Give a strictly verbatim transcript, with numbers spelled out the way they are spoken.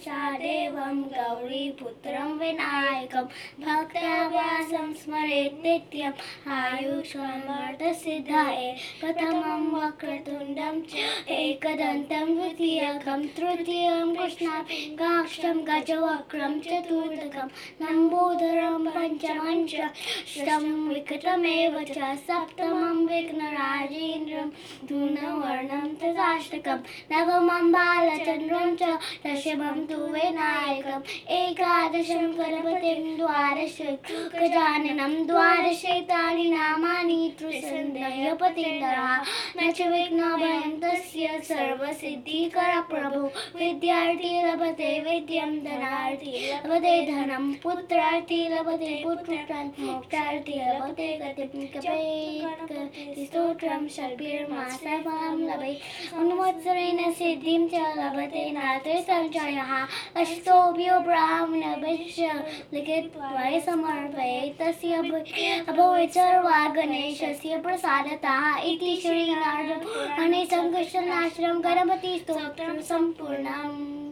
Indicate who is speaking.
Speaker 1: च देवं गौरीपुत्रं विनायकं भक्त्यावासं स्मरेत् नित्यम् आयुष्मन्तसिद्धाये प्रथमं वक्रतुण्डं च एकदन्तं द्वितीयकं तृतीयं कृष्णाक्षं गजवक्त्रं चतुर्थकं लम्बोदरं पञ्चमं च षष्ठं विकटमेव च सप्तमं विघ्नराजेन्द्रं धूम्रवर्णं तथाष्टकं नवमं बालचन्द्रं च दशमं तु विनायकम् एकादशं गणपतिं द्वादश गजाननं द्वादशैतानि नामानि त्रिसन्ध्यपतिन्दरः न च विघ्नभयं तस्य सर्वसिद्धिकर प्रभु विद्यार्थी लभते विद्यं धनार्थी लभते धनं पुत्रार्थी लभते पुत्रं मोक्षार्थी लभते गतिं कपे स्तोत्रं षड्भिर्मासफलं लभेत् अनुवत्सरेण सिद्धिं च लभते नात्र संशयः अष्टोभ्यो ब्राह्मणभिश्च लिखित्वा समर्पयेत् तस्य अभवेत् सर्वा गणेशस्य प्रसादतः इति श्रीनारदपुराणे संकर्षणाष्टकं गणपतिस्तोत्रं सम्पूर्णम्।